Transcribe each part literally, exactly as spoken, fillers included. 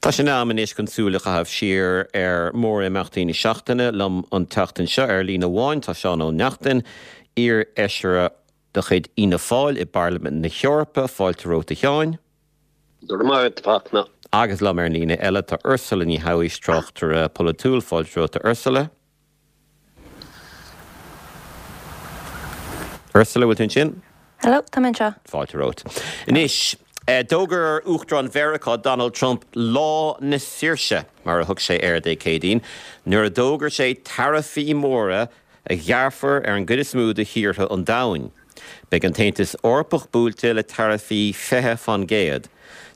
Tá sé in am anois chun súil a chaitheamh siar ar mhórimeachtaí na seachtaine liom an tseachtain seo ar líne amháin tá Seán Ó Neachtain, iar-fheisire de chuid Fhianna Fáil i bParlaimint na hEorpa fáilte romhat a Sheáin. Dúna. Agus liom ar líne eile tá Ursula Ní Thabhais tráchtaire polaitiúil fáilte romhat a Ursula. Ursula bhfuil tú ansin? Hello, tá mé anseo. Fáilte romhat. Anois, D'fhógair Uachtarán Mheiriceá Donald Trump lá na saoirse mar a thug sé air Dé Céadaoin, nuair a d'fhógair sé taraifí móra a ghearrfar ar an gcuid is mó de thíortha an domhain. Beidh an tAontas Eorpach buailte le taraifí fiche faoin gcéad.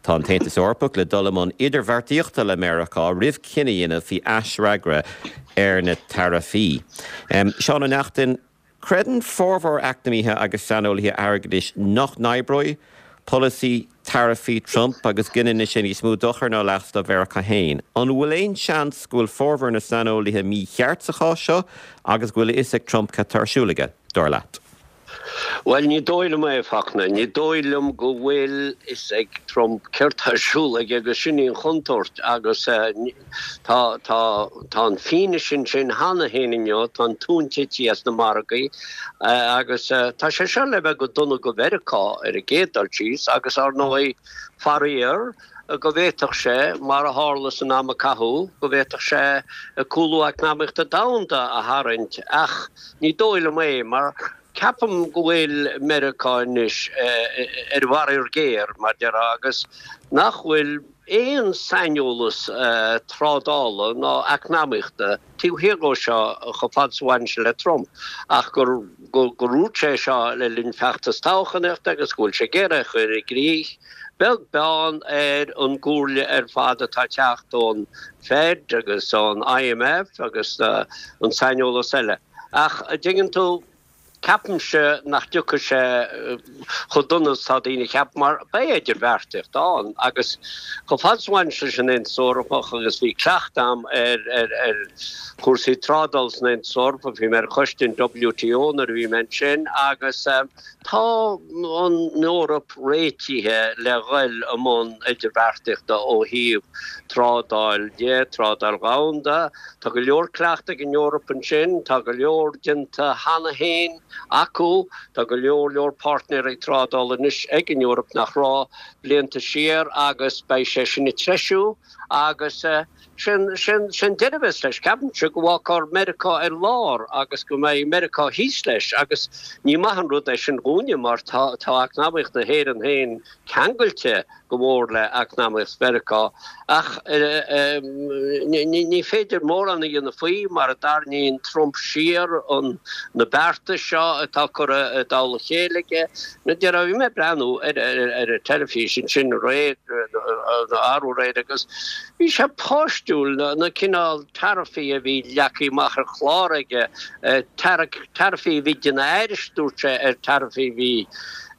Tá an tAontas Eorpach le dul i mbun idirbheartaíochta le Meiriceá roimh cinneadh a dhéanamh faoi aisfhreagra ar na taraifí. Seán Ó Neachtain, creideann formhór eacnamaithe agus saineolaithe airgeadais nach n-oibreoidh polasaí taraifí Trump agus go ndéanfaidh sé níos mó dochair ná leas do Mheiriceá féin. An bhfuil aon seans go bhfuil formhór na saineolaithe mícheart sa chás seo agus go bhfuil a fhios ag Trump cad tá ar siúl aige, dar leat? Bhuel, ní dóigh liom é, a Fachtna. Ní dóigh liom go bhfuil fhios ag Trump céard tá ar siúl aige agus sin í an chontúirt agus tá tá tá an fianaise ansin cheana féin inniu, tá an tóin tite as na margaí agus tá sé seo le bheith go dona go Mheiriceá ar an gcéad dul síos agus ar ndóigh faraor go bhféadfadh sé, mar a tharla san am a caitheadh, go bhféadfadh sé cúlú eacnamaíochta domhanda a tharraingt ach ní dóigh liom é mar ceapaim go bhfuil Meiriceá anois ar bharraíocht ghéar, mar déarfá, agus nach bhfuil aon saineolas trádála ná eacnamaíochta taobh thiar dhó seo chomh fada is a bhaineann sé le Trump, ach gur gur dhúirt sé seo le linn feachtas toghchánaíochta agus go bhfuil sé ag iarraidh é a chur i gcrích, beag beann ar an gcomhairle ar fad atá ag teacht ón Fed agus ón IMF agus an saineolas eile. Ach, an dtuigeann tú, Ceapaimse nach dtiocfaidh sé chomh dona is atá daoine a cheapadh mar beidh idirbheartaíocht ann agus chomh fada is a bhaineann sé leis an Aontas Eorpach agus bhí cleachtadh agam ar ar chúrsaí trádála san Aontas Eorpach, bhí mé ar choiste an WTO nuair a bhí mé ansin agus tá an Eoraip réitithe le dhul i mbun idirbheartaíochta ó thaobh trádáil de, trádáil dhomhanda. Tá go leor cleachtadh ag an Eoraip ansin, tá go leor déanta cheana féin acu, tá go leor leor páirtnéirí trádála anois ag an Eoraip nach raibh blianta siar agus beidh sé sin ag treisiú agus sin sin sin deireadh a bheas leis. Ceapaimse go bhfágfar Meiriceá ar lár agus go mbeidh Meiriceá thíos leis agus ní maith an rud é sin dhúinne mar tá tá eacnamaíocht na hÉireann féin ceangailte go mór le eacnamaíocht Mheiriceá ach ní féidir mórán a dhéanamh faoi mar a dtarraingíonn Trump siar an na beartais seo atá curtha i dtoll a chéile aige. Bhí mé ag breathnú ar ar an teilifís ansin aréir arú aréir agus bhí sé páistiúil na cineál taraifí a bhí leagtha amach ar chlár aige, taraifí a bhí ag déanamh aithris dúirt sé ar taraifí a bhí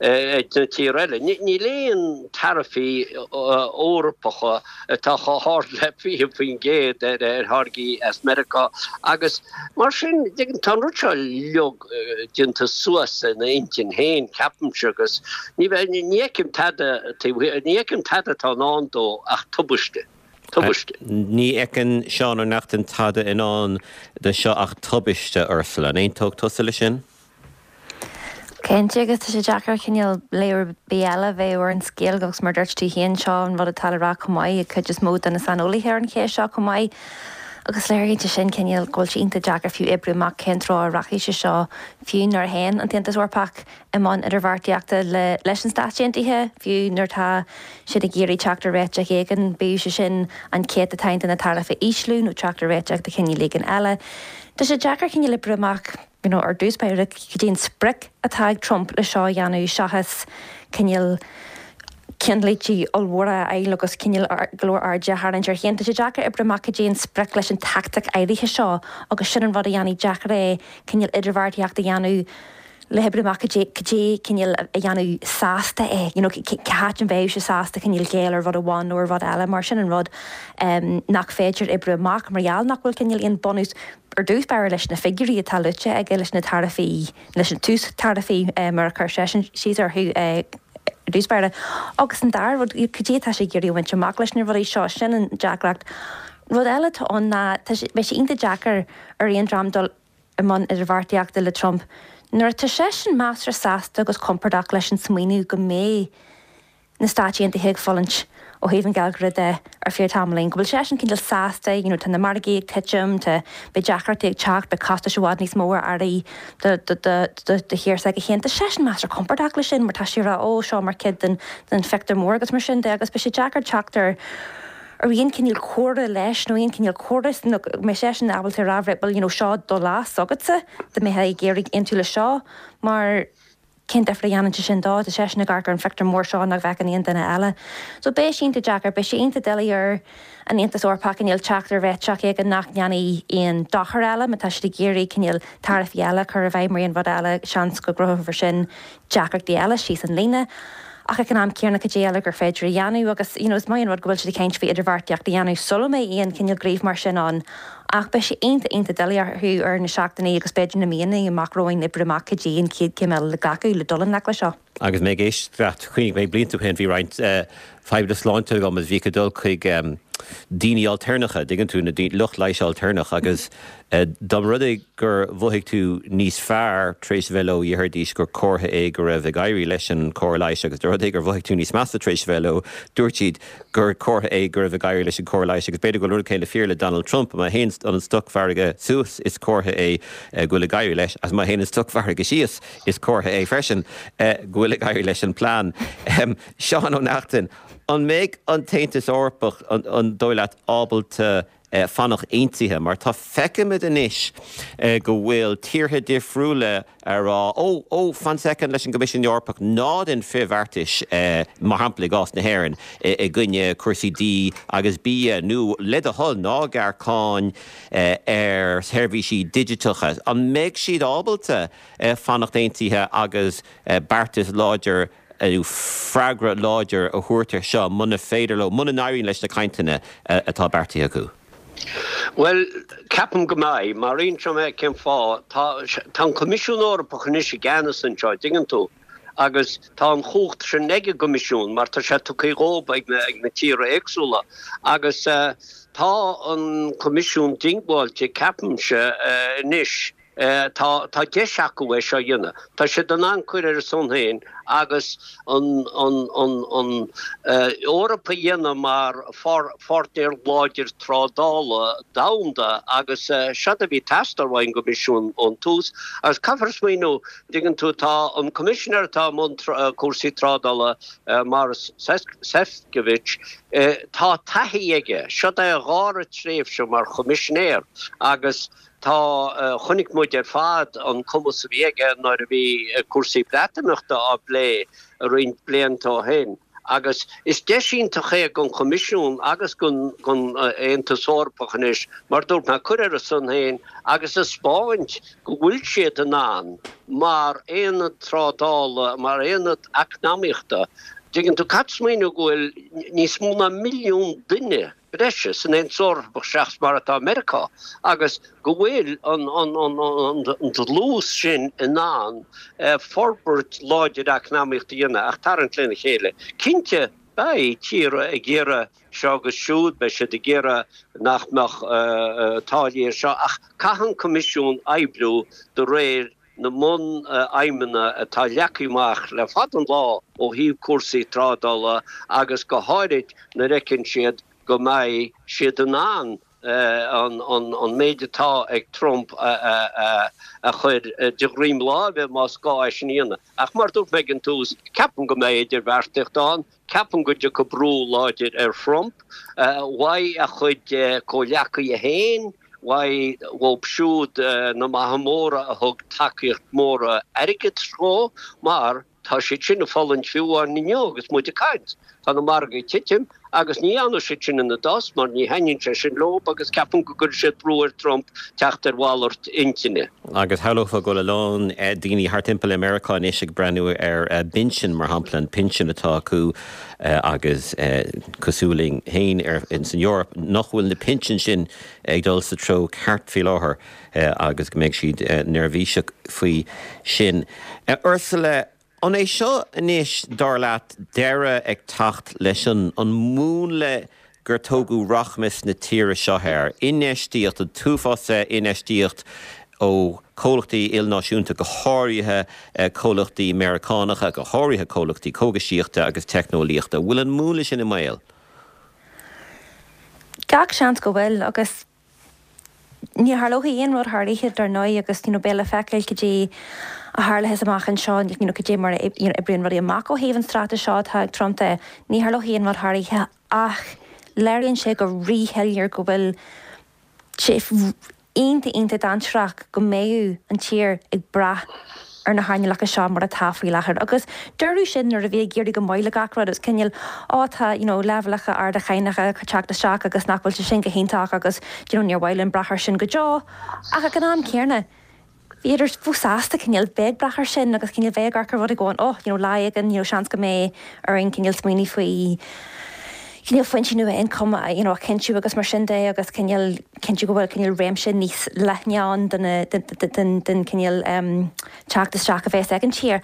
ag na tíortha eile. Níl aon taraifí Eorpacha atá chomh hard le fiche faoin gcéad ar tháirgí as Meiriceá agus mar sin tá an rud seo uilig déanta suas ina intinn féin, ceapaimse, agus ní fheicim tada, ní fheicim tada atá i ndán dó ach tubaiste. Tubaiste. Ní fheiceann Seán Ó Neachtain tada i ndán do seo ach tubaiste, Ursula. An aontódh tusa leis sin? Cinnte, agus tá sé deacair cineál léamh ar bith eile a bheith ar an scéal agus mar dúirt tú féin, seo an rud atá le rá chomh maith ag cuid is mó de na saineolaithe ar an cheist seo chomh maith. Agus léiríonn sé sin cineál go bhfuil sé iontach deacair fiú oibriú amach cén treo a rachaidh sé seo fiú nuair a théann an tAontas Eorpach i mbun idirbheartaíochta le leis an Stáit Aontaithe, fiú nuair atá siad ag iarraidh teacht ar réiteach éigin, bíodh sé sin an céatadán de na taraifí a ísliú nó teacht ar réiteach de chineál éigin eile. Tá sé deacair cineál oibriú amach you know, ar dtús báire cad é an sprioc atá ag Trump le seo a dhéanamh seachas cineál ceannlínte ollmhóra a fháil agus cineál go leor airde a tharraingt air féin. Tá sé deacair oibriú amach cad é an sprioc leis an tactic áirithe seo agus sin an rud a dhéanfaidh deacair é cineál idirbheartaíocht a dhéanamh le hoibriú amach cad é cad é cineál a dhéanamh sásta é, you know, cá háit a mbeadh sé sásta cineál géilleadh ar rud amháin nó ar rud eile mar sin an rud nach féidir oibriú amach mar gheall nach bhfuil cineál aon bunús ar dtús báire leis na figiúirí atá luaite aige leis na taraifí, leis na tús taraifí mar a chuir seisean síos orthu dtús báire. Agus an dara rud, cad é atá sé ag iarraidh a bhaint amach leis na rudaí seo, sin an deacracht. Rud eile atá ann ná beidh sé iontach deacair ar aon dream dul i mbun idirbheartaíochta le Trump nuair atá seisean measartha sásta agus compordach leis an smaoineamh go mbeidh na Stáit Aontaithe ag fulaingt ó thaobh an gheilleagair de ar feadh tamaillín, go bhfuil seisean cineál sásta, you know, tá na margaí ag titim, tá beidh deacrachtaí ag teacht, beidh costais i bhfad níos mó ar earraí do do do do do thír s'aige féin. Tá seisean measartha compordach leis sin mar tá sé ag rá ó seo mar chuid den den phictiúr mór agus mar sin de agus beidh sé deacair teacht ar ar aon chineál comhrá leis nó aon chineál córas nó go mbeidh seisean ábalta a rá right well you know seo do leas agatsa dá mbeifeá ag iarraidh aontú leis seo mar cén difear a dhéanann sé sin dó, tá seisean ag amharc ar an phictiúr mór seo nach bhfeiceann aon duine eile. So beidh sé iontach deacair, beidh sé iontach doiligh ar an Aontas Eorpach cineál teacht ar réiteach éigin nach ndéanfaidh aon dochar eile, má tá siad ag iarraidh cineál taraifí eile a chur i bhfeidhm ar aon rud eile, seans go gcruthófar sin deacrachtaí eile síos an líne. Ach ag an am céanna cad é eile gur féidir a dhéanamh agus you know is maith an rud go bhfuil siad ag caint faoi idirbheartaíocht a dhéanamh sula mbeidh aon chineál gníomh mar sin ann ach beidh sé iontach iontach doiligh orthu ar na seachtainí agus b'fhéidir na míonna amach romhainn oibriú amach cad é an chéad chéim eile le glacadh le dul i ngleic leis seo. Agus mé ag éisteacht, chuimhnigh mé blianta ó shin bhí roinnt fadhbanna sláinte agam agus bhíodh ag dul chuig daoine ailtéarnacha, dtuigeann tú, na lucht leighis ailtéarnach agus dá mba rud é gur mhothaigh tú níos fearr tar éis a bheith leo, dhéarfaidís gur comhartha é go raibh ag éirí leis an chóir leighis agus dá mba rud é gur mhothaigh tú níos measa tar éis a bheith leo, dúirt siad gur comhartha é go raibh ag éirí leis an chóir leighis agus b'fhéidir go bhfuil rud céanna fíor le Donald Trump, má théann an stocmhargadh suas is comhartha é go bhfuil ag éirí leis agus má théann an stocmhargadh síos is comhartha é freisin go bhfuil ag éirí leis an plean. Seán Ó Neachtain, an mbeidh an tAontas Eorpach an dóigh leat ábalta fanacht aontaithe, mar tá feicimid anois go bhfuil tíortha difriúla ag rá ó ó fan soicind leis an gCoimisiún Eorpach ná déan frithbheartais mar shampla i gcás na hÉireann i gcoinne cúrsaí dí agus bia nó le do thoil ná gearr cáin ar sheirbhísí digiteacha. An mbeidh siad ábalta fanacht aontaithe agus beartas láidir nó freagra láidir a thabhairt air seo muna féidir leo, muna n-éiríonn leis na cainteanna atá beartaithe acu? Bhuel, ceapaim go mbeidh, mar inseoidh mé cén fáth. Tá tá an Coimisiún Eorpach anois i gceannas anseo, dtuigeann tú, agus tá an chumhacht sin ag an gCoimisiún mar tá sé tugtha dhóibh ag na ag na tíortha éagsúla. Agus tá an Coimisiún diongbháilte, ceapaimse, anois. Tá tá deis acu é seo a dhéanamh. Tá siad in ann cur ar a son féin agus an an an an Eoraip a dhéanamh mar pháirtnéir láidir trádála domhanda agus seod a bhí ag teastáil ón gCoimisiún ón tús. Agus caithfear smaoineamh, dtuigeann tú, tá an Coimisinéir atá i mbun cúrsaí trádála, Maros Sefcovic, tá taithí aige, seod é a dhara tréimhse mar Choimisinéir agus Tá, chonaic muid ar fad an cumas a bhí aige nuair a bhí cúrsaí Breatimeachta á bplé roinnt blianta ó shin agus is deis iontach é don Choimisiún agus don Aontas Eorpach anois, mar dúirt mé, cur ar a son féin agus a 'speáint go bhfuil siad in ann mar aonad trádála, mar aonad eacnamaíochta. Dtuigeann tú, caithfidh smaoineamh go bhfuil níos mó ná milliún duine breise san Aontas Eorpach seachas mar atá i Meiriceá agus go bhfuil an dlús sin in ann forbairt láidir eacnamaíochta a dhéanamh ach tarraingt lena chéile. Cinnte, beidh tíortha ag iarraidh seo agus siúd, beidh siad ag iarraidh nach mbeadh táillí ar seo ach caithfidh an Coimisiún oibriú de réir na mbun-aidhmeanna atá leagtha amach le fada an lá ó thaobh cúrsaí trádála agus go háirid nuair a fheiceann siad go mbeidh siad in ann an méid atá ag Trump a chur de dhroim láimhe más gá é sin a dhéanamh. Ach mar a dúirt mé ag an tús, ceapaim go mbeidh idirbheartaíocht ann, ceapaim go dtiocfaidh brú láidir ar Thrump uaidh a chuid comhghleacaithe féin, uaidh dhóibh siúd na maithe móra a thug tacaíocht mhór airgid dhó, mar tá siad sin ag fulaingt fiú amháin inniu agus muid ag caint. Tá na margaí ag titim agus ní fhanfaidh siad sin ina dtost mar ní thaitníonn sé sin leo agus ceapaim go gcuirfidh siad brú ar Trump teacht ar mhalairt intinne. Agus shamhlófá go bhfuil a lán daoine thart timpeall i Meiriceá anois ag breathnú ar a bpinsean, mar shampla, an pinsean atá acu agus cosúil linn féin san Eoraip, nach bhfuil na pinsin sin ag dul sa treo ceart faoi láthair agus go mbeidh siad neirbhíseach faoi sin. Ursula, An é seo anois dar leat deireadh ag teacht leis an an múnla gur tógadh rachmas na tíre seo air, infheistíocht an t-uafás infheistíocht ó comhlachtaí ilnáisiúnta go háirithe comhlachtaí Meiriceánacha, go háirithe comhlachtaí cógaisíochta agus teicneolaíochta. Bhfuil an múnla sin i mbaol? Gach seans go bhfuil agus ní tharlóidh aon rud thar oíche dar ndóigh agus you know, beidh le feiceáil cad é a tharlós amach anseo you know, cad é mar you know, oibríonn rudaí amach ó thaobh an straitéis seo atá ag Trump de. Ní tharlóidh aon rud thar oíche ach léiríonn sé go ríshoiléir go bhfuil sé iontach iontach dainséarach go mbeidh an tír ag brath ar na hearnálacha seo mar atá faoi láthair. Agus dúradh sin nuair a bhí ag éirí go maith le gach rud is cineál á tá you know, leibhéalacha arda cánacha teacht isteach agus nach bhfuil sé sin go hiontach agus you know, níor mhaith linn brath air sin go deo ach ag an am céanna. Bhíodar fós sásta cineál bheith ag brath air sin agus cineál bheith ag rud ag oh you know, lá éigin you know, seans go mbeidh orainn cineál smaoineamh faoi cineál foinsí nua ioncaim you know, a chinntiú agus mar sin de agus cineál cinntiú go bhfuil cineál réimse níos leithne ann den den cineál um, teacht isteach a bheas ag an tír.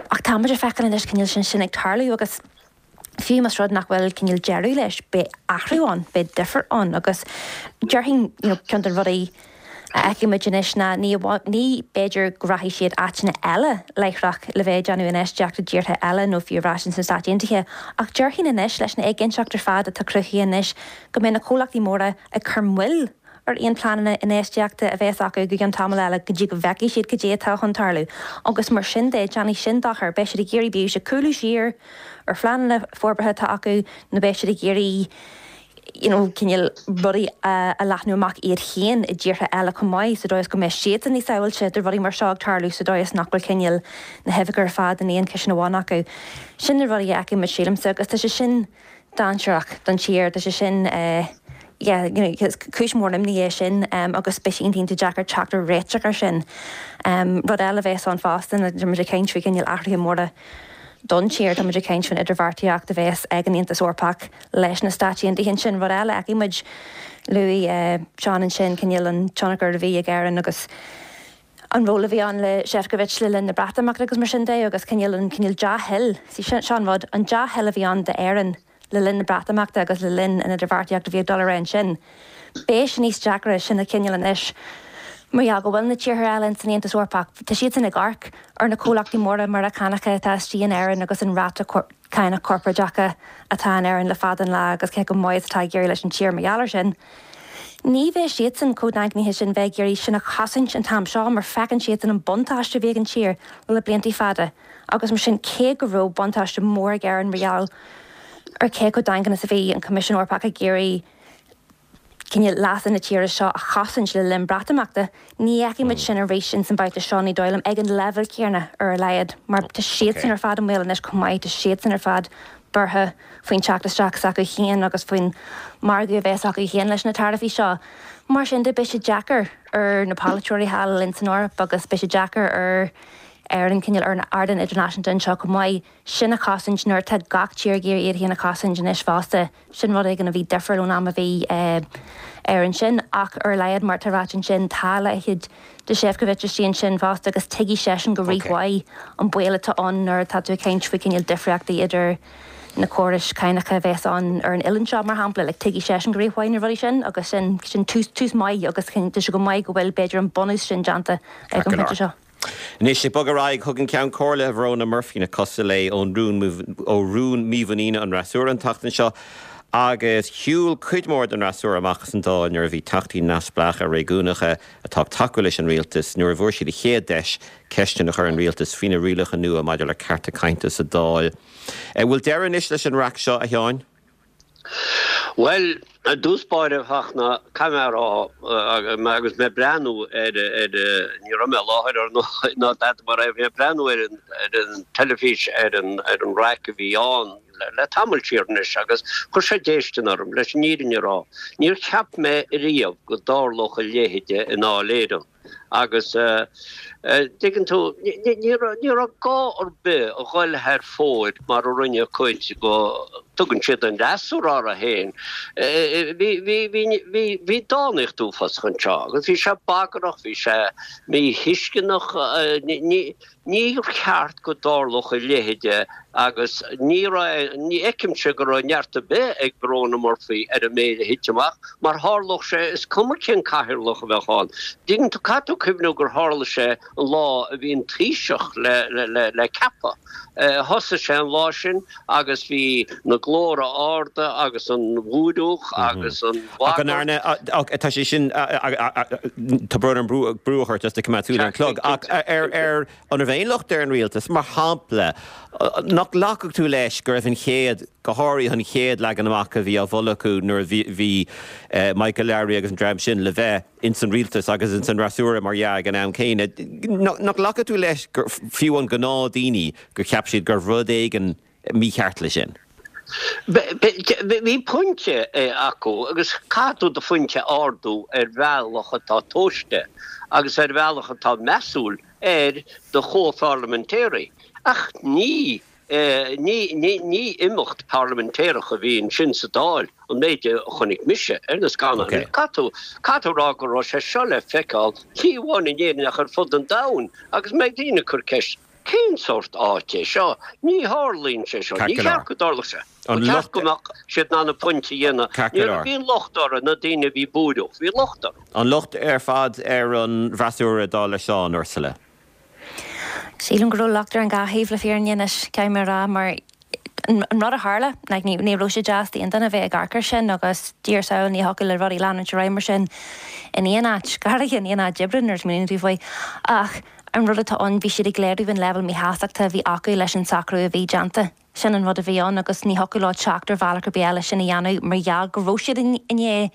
Ach tá muid ag feiceáil anois cineál sin sin ag tarlú agus fiú más rud nach bhfuil cineál deireadh leis beidh athrú ann, beidh difear ann agus déarfainn you know, ceann de na rudaí a fheicimid anois ná ní ní b'fhéidir go rachaidh siad áiteanna eile láithreach le bheith déanamh infheistíocht i dtíortha eile nó fiú ar ais sna Stáit Aontaithe, ach déarfainn anois leis na éiginnteacht ar fad atá cruthaithe anois go mbeidh na comhlachtaí móra ag cur moill ar aon pleananna infheistíochta a bheas acu go gceann tamall eile go dtí go bhfeicfidh siad cad é atá chun tarlú. Agus mar sin de déanfaidh sin dochar, beidh siad ag iarraidh bíodh sé cúlú siar ar phleananna forbartha atá acu nó beidh siad ag iarraidh you know, cineál rudaí a, a leathnú amach iad féin i dtíortha eile chomh maith sa dóigh is go mbeidh siad níos sábháilte de rudaí mar seo ag tarlú sa dóigh is nach bhfuil cineál na huibheacha ar fad in aon chiseán amháin acu. Sin na rudaí a fheicimid sílimse agus tá sé sin dainséarach don tír, tá sé sin uh, yeah, you know, cúis mór imní é sin um, agus beidh sé iontach deacair teacht ar réiteach ar sin. Um, rud eile bheas ann fosta na muid ag caint faoi cineál athruithe móra don tír tá muid ag caint faoin idirbheartaíocht a bheas ag an Aontas Eorpach leis na Stáit Aontaithe sin rud eile fheicimid luaigh uh, Seán ansin cineál an tionchar a bhí ag Éirinn agus an ról a bhí ann le Šefčovič le linn na Breatimeachta agus mar sin de agus cineál an cineál dea-thoil sí sin sin rud an dea-thoil a bhí ann d'Éirinn le linn na Breatimeachta agus le linn an idirbheartaíocht a bhí ag dul ar sin. Beidh sé níos deacra sin a chineál anois. Mar go bhfuil na tíortha eile san Aontas Eorpach, Tá siad san ag amharc ar na comhlachtaí móra Meiriceánacha atá istigh in Éirinn agus an ráta cánach corparáideacha atá in Éirinn le fada an lá agus cé chomh maith atá ag éirí leis an tír mar gheall air sin. Ní bheidh siadsan chomh daingnithe sin bheith ag iarraidh sin a chosaint an t-am seo mar feiceann siad an buntáiste bhí ag an tír le blianta fada, agus mar sin cé go raibh buntáiste mór ag Éirinn mar gheall ar cé chomh daingean is a bhí an Coimisiún Eorpach ag iarraidh cineál leasa na tíre seo a chosaint le linn Breatimeachta, ní fheicfimid sin arís in san babhta seo ní dóigh liom ag an leibhéal céanna ar a laghad, mar tá siadsan ar fad i mbaol anois chomh maith tá siadsan ar fad buartha faoin teacht isteach s'acu féin agus faoin margadh a bheas acu féin leis na taraifí seo. Mar sin de beidh sé deacair ar na polaiteoirí thall in san Eoraip agus beidh sé deacair ar ar an cineál ar an ardán idirnáisiúnta anseo chomh maith sin a chosaint nuair atá gach tír ag iarraidh iad féin a chosaint anois fosta sin rud éigin a bhí difriúil ón am a bhí uh, ar ansin ach ar a laghad mar tá ráite ansin tá a leithéid de Šefčovič istigh ansin fosta agus tuigfidh seisean go rímhaith an baol atá ann nuair atá tú ag caint faoi cineál difríochtaí idir na córais cánacha a bheas ann ar an oileán seo mar shampla le tuigfidh seisean go rímhaith na rudaí sin agus sin sin tús tús maith agus tá sé go maith go bhfuil b'fhéidir an bunús sin déanta ag an bpointe seo. Anois ag bogadh ar aghaidh thug an Ceann Comhairle Verona Murphy na cosa léi ón rún ó rún mímhuiníne an fhreasúra an tseachtain seo, agus shiúil cuid mhór den fhreasúra amach as an Dáil nuair a bhí teachtaí neamhspleácha réigiúnacha atá ag tacú leis an rialtas nuair a bhfuair siad a chéad deis ceisteanna a chur ar an rialtas faoi na rialacha nua maidir le cearta cainte sa Dáil. Bhfuil deireadh anois leis an raic seo a Sheáin? Well, i dtús báire Fachtna caithfidh mé agus mé breathnú ar ar ní raibh mé i láthair ar ná dada mar raibh mé breathnú ar an ar an teilifís ar an ar an raic a bhí ann le, le tamall siar anois agus chuir sé déistin orm leis an fhírinne a rá. Níor cheap mé riamh go dtarlódh a leithéid i nDáil Éireann. Agus dtuigeann tú, ní raibh gá ar bith a dhul thar fóir mar a rinne cuid go dtugann siad an fhreasúra orthu féin. Bhí dánaíocht uafásach anseo agus bhí sé bagrach, bhí sé míthuisceanach. Níor cheart go dtarlódh a leithéid agus ní raibh, ní fheicimse go raibh neart ar bith ag Verona Murphy ar an méid a thit amach mar tharlódh sé is cuma cén cathaoirleach a bheadh ann. Dtuigeann tú, caithfidh tú cuimhniú gur tharla sé an lá a bhí an Taoiseach le, le, le ceapadh. Thosaigh sé an lá sin agus bhí na glórtha arda agus an bhúireach agus an Ach an arna, tá sé sin, tá brón orm brú a chur ort just ag coimeád súil ar an chlog, ach ar, ar, an raibh aon locht ar an rialtas, mar shampla, nach nglacfadh tú leis go raibh an chéad, go háirithe an chéad leagan amach a bhí á mholadh acu nuair a bhí, bhí Michael Lowry agus an dream sin le bheith ins an rialtas agus ins an fhreasúra mar dhea ag an am céanna, nach nglacfadh tú leis gur fiú an gnáth daoine gur cheap siad gur rud éigin mícheart leis sin? Bhí pointe acu agus caithfidh tú do phointe a ardú ar bhealach atá tomhaiste agus ar bhealach atá measúil ar do chomhpharlaimintéirí. Ach ní ní ní imeacht parlaimintéireach a bhí ansin sa Dáil an méid a chonaic mise ar na scannáin. Caithfidh tú caithfidh tú rá go raibh sé seo le feiceáil ní amháin in Éirinn ach ar fud an domhain agus mbeidh daoine ag cur ceist cén sórt áit é seo? Ní tharlaíonn sé seo. Ní cheart go dtarlódh sé. Ba cheart go mbeadh siad in ann a bpointe a dhéanamh. Ní bhí an locht orthu na daoine a bhí buartha, bhí locht orthu. An locht ar fad ar an bhfreasúra dar le Seán Ursula. Sílim go raibh locht ar an dhá thaobh le fírinne anois caithfidh mé a rá mar an rud a tharla like, ní ní raibh sé deas d'aon duine bheith ag amharc air sin agus Dia ár sábháil ní thiocfadh le rudaí leanúint ar aghaidh mar sin in aon áit, go háirithe in aon áit oibre nuair a smaoiníonn tú faoi. Ach an rud atá ann bhí siad ag léiriú an leibhéal míshástachta a bhí acu leis an socrú a bhí déanta. Sin an rud a bhí ann agus ní thiocfadh leo teacht ar bhealach ar bith eile sin a dhéanamh mar gheall go raibh siad inné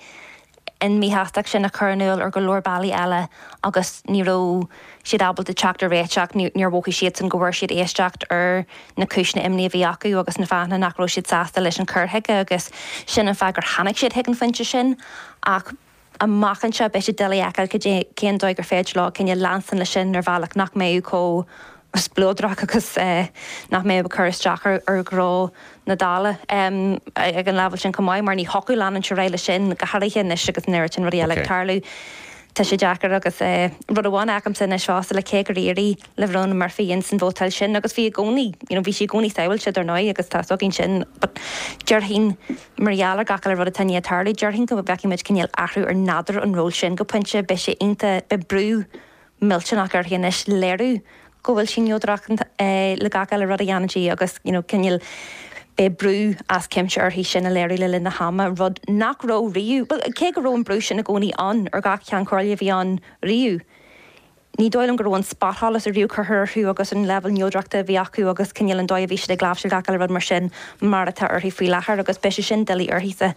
an míshástacht sin a chur in iúl ar go leor bealaí eile agus ní raibh siad ábalta teacht ar réiteach níor mhothaigh siadsan go bhfuair siad éisteacht ar na cúiseanna imní a bhí acu agus na fáthanna nach raibh siad sásta leis an cur chuige agus sin an fáth gur tháinig siad chuig an phointe sin ach amach anseo beidh sé doiligh a fheiceáil cén dóigh gur féidir leo cineál leanstan leis sin ar bhealach nach mbeidh chomh spleodrach agus eh, nach mbeidh cur isteach ar ar ghnó na Dála um, ag an leibhéal sin chomh maith mar ní thiocfadh leanúint ar aghaidh leis sin go háirithe anois agus an oiread sin rudaí eile ag tarlú. Tá sé deacair agus eh, rud amháin agamsa anois fosta le cé gur éirigh le Verona Murphy in san vótáil sin agus bhí i gcónaí you know, bhí sí i gcónaí sábháilte dar ndóigh agus tá againn sin but déarfainn mar gheall ar gach uile rud atá ag tarlú déarfainn go bhfeicfimid cineál athrú ar nádúr an ról sin go pointe beidh sé iontach beidh brú millteanach uirthi anois léiriú go bhfuil sí neodrach eh, le gach eile rud a dhéanann sí agus you know, cineál beidh brú as cuimse uirthi sin a léiriú le linn na hama rud nach raibh riamh well, cé go raibh an brú sin i gcónaí ann ar gach ceann comhairle a bhí ann riamh. Ní dóigh liom go raibh an spotsholas a riamh curtha orthu agus an leibhéal neodrachta a bhí acu agus cineál an dóigh a bhí siad ag láimhseáil gach eile rud mar sin mar atá uirthi faoi láthair agus beidh sé sin doiligh uirthise.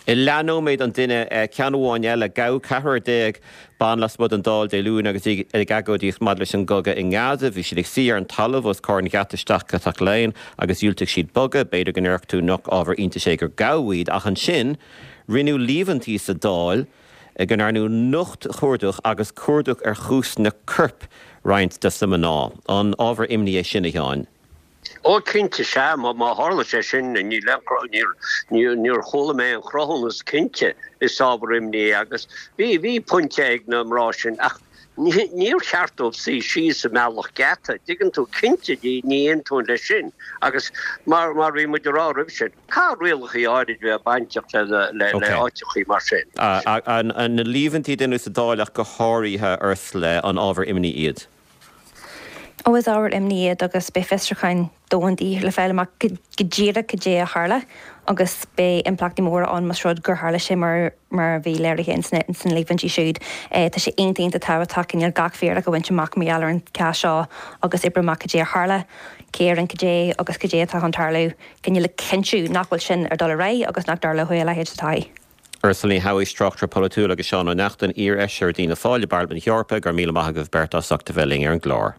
I leathnóméid an duine ceann amháin eile gabhadh ceathrar déag ban lasmuigh den Dáil Dé Luain agus ag agóidíocht maidir leis an gcogadh i nGaza, bhí siad ag suí ar an talamh os comhair an gheata isteach go Teach Laighean agus dhiúltaigh siad bogadh, b'fhéidir go ndéarfadh tú nach ábhar iontais é gur gabhadh iad ach ansin rinneadh líomhaintí sa Dáil go ndearnadh nochtchuardach agus cuardach ar chuasna coirp roinnt de na mná. An ábhar imní é sin a Sheáin. Ó cinnte sea má má tharla sé sin ní níor chuala mé an cruthúnas cinnte is ábhar imní agus bhí bhí pointe ag na mná sin ach níor cheart dóibh suí síos i mbealach geata, Tuigeann tú cinnte ní aontaím leis sin agus mar mar bhí muid ag rá roimhe sin caithfidh rialacha áirid bheith bainteach le le le áiteachaí mar sin. Na líomhaintí a rinneadh sa Dáil ach go háirithe Ursula an ábhar imní iad. Ó is ábhar imní iad agus beidh fiosrúchán domhanda le fáil amach go díreach cad é a tharla agus beidh impleachtaí móra ann más rud gur tharla sé mar mar a bhí léirithe in sna líomhaintí siúd. Tá sé iontach iontach tábhachtach cineál gach fíric a bhaint amach mar gheall ar an gcás seo agus oibriú amach cad é a tharla, cé a rinne cad é agus cad é atá chun tarlú, cineál le cinntiú nach bhfuil sin ar dul ar aghaidh agus nach dtarlóidh a leithéid sa todhchaí. Ursula Ní Shamhaois tráchtaire polaitiúil agus Seán Ó Neachtain iarfheisire d'Fhianna Fáil i bParlaimint na hEorpa go raibh míle maith agaibh beirt as ucht a bheith linn ar an gclár.